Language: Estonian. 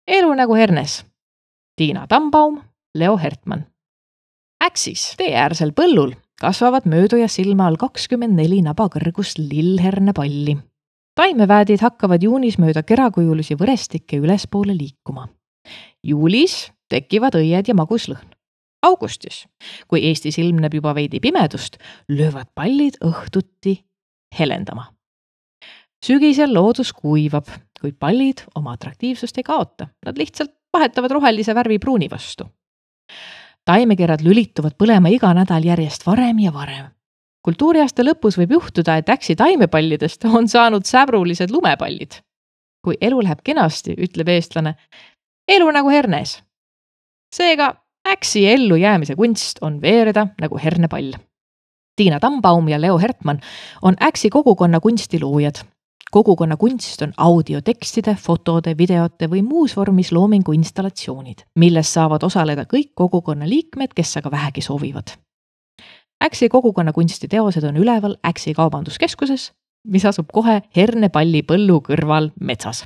Elu nagu hernes. Tiina Tambaum, Leo Hertmann. Äksis teeäärsel põllul kasvavad mööduja silma all 24 nabakõrgust lillhernepalli. Taimeväädid hakkavad juunis mööda kerakujulisi võrestikke ülespoole liikuma. Juulis tekivad õied ja magus lõhn. Augustis, kui Eestis ilmneb juba veidi pimedust, löövad pallid õhtuti helendama. Sügisel loodus kuivab, kuid pallid oma atraktiivsust ei kaota. Nad lihtsalt vahetavad rohelise värvi pruuni vastu. Taimekerad lülituvad põlema iga nädal järjest varem ja varem. Kultuuriaasta lõpus võib juhtuda, et äksi taimepallidest on saanud säbrulised lumepallid. Kui elu läheb kenasti, ütleb eestlane, elu nagu hernes. Seega äksi ellu jäämise kunst on veereda nagu hernepall. Tiina Tambaum ja Leo Hertmann on äksi kogukonna kunstiloojad. Kogukonna kunst on audiotekstide, fotode, videote või muus vormis loomingu installatsioonid, milles saavad osaleda kõik kogukonna liikmed, kes aga vähegi soovivad. Äksi kogukonna kunstiteosed on üleval Äksi kaubanduskeskuses, mis asub kohe hernepalli põllu kõrval metsas.